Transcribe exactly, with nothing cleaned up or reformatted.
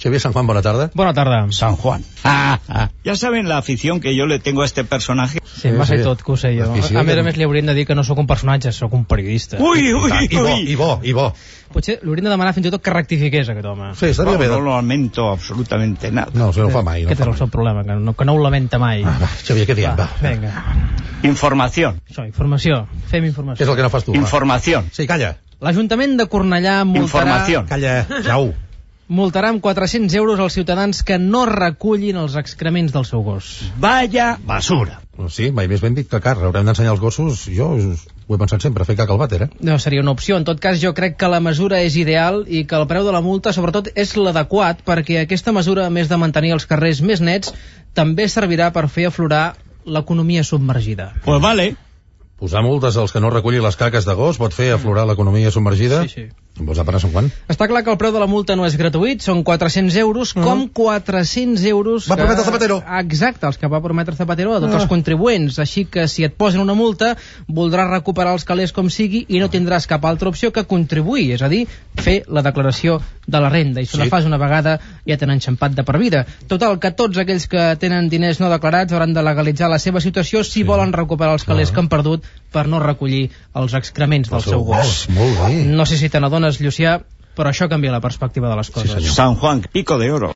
Xavier San Juan, bona tarda. Buena tarde. San Juan. Ah, ah. Ya saben la afición que yo le tengo a este personaje. Sí, sí, m'ha sí. tot, que ho sé jo. A més a més li haurien de dir que no sóc un personatge, sóc un periodista. Ui, ui, I bo, i bo, i bo. Potser li hauríem de demanar fins i tot que rectifiqués aquest home. Sí, estaria bé. No lo lamento absolutamente nada. No, això no ho fa mai. Aquest és el seu problema, que no, que no ho lamenta mai. Ah, va, Xavier, què diem? Va, vinga. Información. Això, informació. Fem informació. Què és el que no fas tu? Información. Sí, calla. L'Ajuntament de Cornellà multarà... Información. Calla, jau. Multarà amb quatre-cents euros als ciutadans que no recullin els excrements del seu gos. Vaya basura. Sí, mai més ben dit que car. Haurem d'ensenyar els gossos. Jo ho he pensat sempre, fer caca al vàter, eh? No, seria una opció. En tot cas, jo crec que la mesura és ideal i que el preu de la multa, sobretot, és l'adequat, perquè aquesta mesura, a més de mantenir els carrers més nets, també servirà per fer aflorar l'economia submergida. Pues vale. Posar multes als que no recullin les caques de gos pot fer aflorar l'economia submergida? Sí, sí. Em vols demanar Sant Juan? Està clar que el preu de la multa no és gratuït, són quatre-cents euros, uh -huh. com quatre-cents euros... Va que... prometre Zapatero. Exacte, els que va prometre Zapatero a tots uh. els contribuents. Així que si et posen una multa, voldràs recuperar els calés com sigui i no tindràs cap altra opció que contribuir, és a dir, fer la declaració de la renda. I si sí. la fas una vegada ja t'han enxampat de per vida. Total, que tots aquells que tenen diners no declarats hauran de legalitzar la seva situació si sí. volen recuperar els calés uh. que han perdut per no recollir els excrements del seu gos. Molt bé. No sé si te n'adones, Llucià, però això canvia la perspectiva de les coses. Sí, San Juan, pico de oro.